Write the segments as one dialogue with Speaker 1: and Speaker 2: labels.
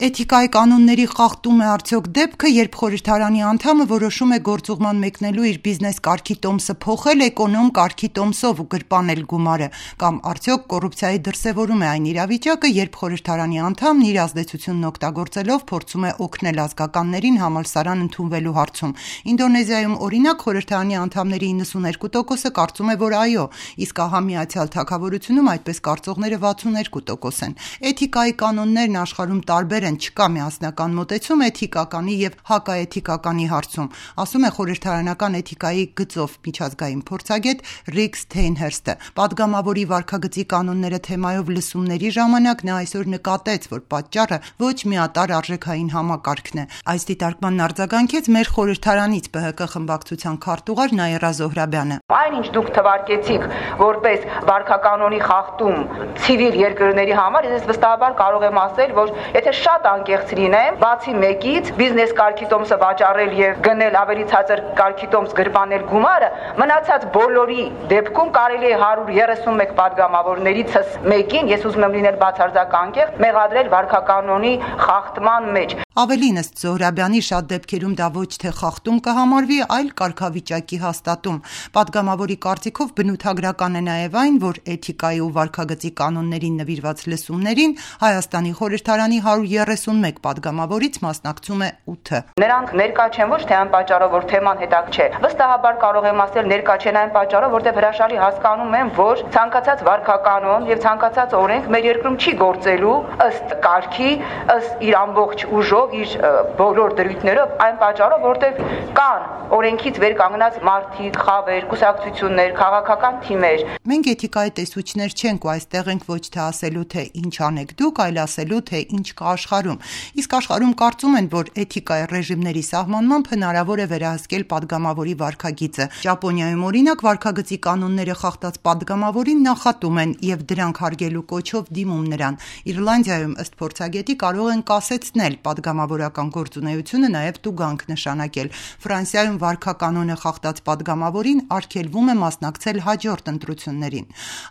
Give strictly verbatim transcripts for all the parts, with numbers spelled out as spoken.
Speaker 1: Էթիկայի կանոնների խախտում է արդյոք դեպքը, երբ խորհրդարանի անդամը որոշում է գործուղման մեկնելու իր բիզնես կարգի տոմսը փոխել էկոնոմ կարգի տոմսով ու գրպանել գումարը, կամ արդյոք կոռուպցիայի դրսևորում է այն իրավիճակը, երբ խորհրդարանի անդամն իր ազդեցությունն օգտագործելով փորձում է օգնել ազգականներին համալսարան ընդունվելու հարցում։ Ինդոնեզիայում օրինակ խորհրդարանի անդամների իննսուններկու տոկոսը կարծում է, որ այո, իսկ ահա Միացյալ Թագավորությունում այդպես կարծողները վաթսուններկու տոկոս են։ Էթիկայի կանոններն աշխարհում տարբեր են, չկա միասնական մոտեցում էթիկականի եւ հակաէթիկականի հարցում, ասում է խորհրդարանական էթիկայի գծով միջազգային փորձագետ Ռիկ Սթեյնհերստը։ Պատգամավորի վարքագծի կանոնները թեմայով լսումների ժամանակ նա այսօր նկատեց, որ պատճառը ոչ միատարր արժեքային համակարգն է։ Այս դիտարկման արձագանքեց մեր խորհրդարանից Բ Հ Կ խմբակցության քարտուղար Նաիրա Զոհրաբյանը։
Speaker 2: Այն ինչ դուք թվարկեցիք որպես վարքականոնի խախտում ցիվիլ երկրների համար, ես վստահաբար կարող եմ ասել, որ եթե շատ անկեղծ լինեմ, բացի մեկից բիզնես կարգի տոմսը վաճառել եւ գնել ավելի ցածր կարգի տոմս գրպանել գումարը, մնացած բոլորի դեպքում կարելի է հարյուր երեսունմեկ պատգամավորներիցս մեկին, ես ուզում եմ լինել բացարձակ անկեղծ, մեղադրել վարքականոնի խախտման մեջ։
Speaker 1: Ավելին, ըստ Զոհրաբյանի, շատ դեպքերում դա ոչ թե խախտում կհամարվի, այլ կարգավիճակի հաստատում։ Պատգամավորի կարծիքով բնութագրական է նաև այն, որ էթիկայի ու վարքագծի կանոններին նվիրված լսումներին Հայաստանի խորհրդարանի հարյուր երեսունմեկ պատգամավորից մասնակցում է ութը։
Speaker 2: Նրանք ներկա չեն ոչ թե այն պատճառով, որ թեման հետաքրքիր չէ։ Վստահաբար կարող եմ ասել ներկա չեն այն պատճառով, որտեղ հրաշալի հասկանում եմ, որ ցանկացած վարքականոն եւ ցանկացած օրենք մեր երկրում չի գործելու ըստ կարգի, ըստ իր ամբողջ ուժով, իր բոլոր դրույթներով, այն պատճառով, որտեղ կան օրենքից վեր կանգնած մարդիկ, խավեր, կուսակցություններ, քաղաքական թիմեր։
Speaker 1: Մենք էթիկայի տեսուչներ չենք ու այստեղ ենք ոչ թե ասելու, թե ինչ անեք դուք, այլ ասելու, թե ինչ կա աշխարհում։ Իսկ աշխարհում կարծում են, որ էթիկայի ռեժիմների սահմանմամբ հնարավոր է վերահսկել պատգամավորի վարքագիծը։ Ճապոնիայում օրինակ վարքագծի կանոնները խախտած պատգամավորին նախատում են եւ դրանք հարգելու կոչով դիմում նրան։ Իռլանդիայում ըստ փորձագետի կարող են կասեցնել պատգամավորական գործունեությունը, նաև տուգանք նշանակել։ Ֆրանսիայում վարքականոնը խախտած պատգամավորին արգելվում է մասնակցել հաջորդ ընտրություններին։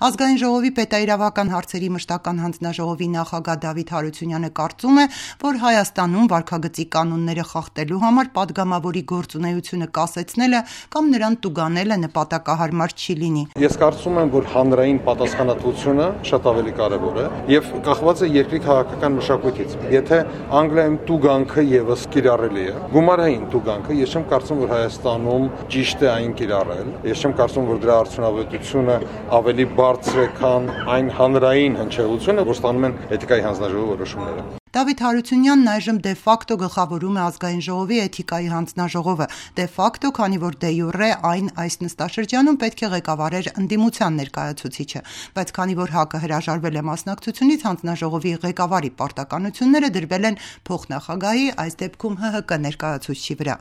Speaker 1: Ազգային ժողովի պետաիրավական հարցերի մշտական հանձնաժողովի նախագահ Դավիթ Հարությունյանը կարծում է, որ Հայաստանում վարքագծի կանոնները խախտելու համար պատգամավորի գործունեությունը կասեցնելը կամ նրան տուգանելը նպատակահարմար չի լինի։
Speaker 3: Ես կարծում եմ, որ հանրային պատասխանատվությունը շատ ավելի կարևոր է եւ կախված է երկրի քաղաքական մշակույթից։ Եթե Անգլիայում տուգանքը եւս կիրառելի է, գումարային տուգանքը, ես չեմ կարծում, որ Հայաստանում ճիշտ է այն կիրառել։ Ես չեմ կարծում, որ դրա արդյունավետությունը ավելի բարձր է, քան այն հանրային հնչեղությունը, որ ստանում են էթիկայի հանձնաժողովի որոշումները։
Speaker 1: Դավիթ Հարությունյանն այժմ դե ֆակտո գլխավորում է ազգային ժողովի էթիկայի հանձնաժողովը, դե ֆակտո, քանի որ դե յուրե այն այս նստաշրջանում պետք է ղեկավարեր ընդդիմության ներկայացուցիչը, բայց քանի որ ՀԱԿ-ը հրաժարվել է մասնակցությունից, հանձնաժողովի ղեկավարի պարտականությունները դրվել են փոխնախագահի, այս դեպքում Հ Հ Կ ներկայացուցչի վրա։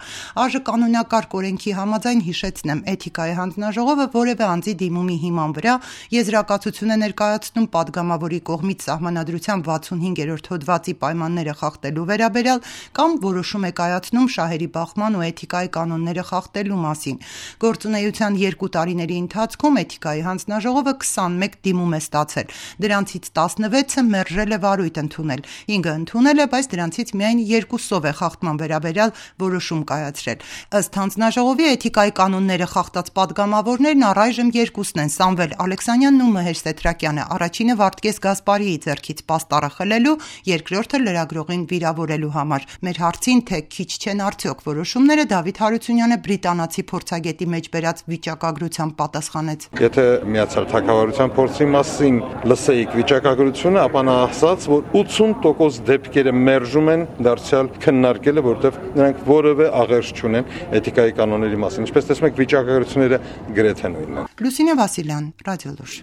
Speaker 1: ԱԺ կանոնակարգ օրենքի համաձայն հիշեցնեմ, էթիկայի հանձնաժողովը որևէ անձի դիմումի հիման վրա եզրակացություն է ներկայացնում պատգամավորի կողմից սահմանադրության վաթսունհինգերորդ հոդվածի պայմանները խախտելու վերաբերյալ կամ որոշում է կայացնում շահերի բախման ու էթիկայի կանոնները խախտելու մասին։ Գործունեության երկու տարիների ընթացքում էթիկայի հանձնաժողովը քսանմեկ դիմում է ստացել։ Դրանցից տասնվեցը մերժել է վարույթ ընդունել, հինգը ընդունել է, բայց դրանցից միայն երկուսով է խախտման վերաբերյալ որոշում կայացրել։ Ըստ հանձնաժողովի էթիկայի կանոնները խախտած պատգամավորներն առայժմ երկուսն են՝ Սամվել Ալեքսանյանն ու Մհեր Սեթրակյանը, առաջինը Վարդգես Գասպարիի ձեռքից պաստառը խլելու, երկրորդը լրագրողին վիրավորելու համար։ Մեր հարցին, թե քիչ չեն արդյոք որոշումները, Դավիթ Հարությունյանը բրիտանացի փորձագետի մեջ բերած վիճակագրությամբ պատասխանեց։
Speaker 3: Եթե Միացյալ Թագավորության փորձի մասին լսեիք վիճակագրությունը, ապա նա ասաց, որ ութսուն տոկոս դեպքերը մերժում են դարձյալ քննարկելը, որտեղ նրանք որևէ աղերս չունեն էթիկայի կանոնների մասին։ Ինչպես տեսնում եք, վիճակագրությունները գրեթե նույնն են։
Speaker 1: Լուսինե Վասիլյան, Ռադիոլուր։